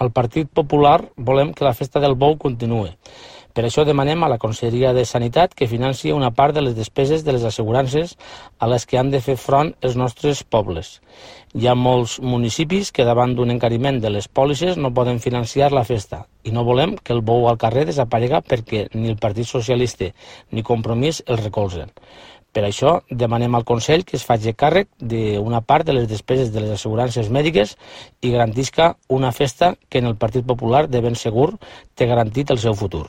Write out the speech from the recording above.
Al Partit Popular volem que la festa del bou continuï. Per això demanem a la Conselleria de Sanitat que financi una part de les despeses de les assegurances a les que han de fer front els nostres pobles. Hi ha molts municipis que davant d'un encariment de les pòlisses no poden financiar la festa i no volem que el bou al carrer desaparega perquè ni el Partit Socialista ni Compromís el recolzen. Per això demanem al Consell que es faci càrrec d'una part de les despeses de les assegurances mèdiques i garantisca una festa que en el Partit Popular de ben segur té garantit el seu futur.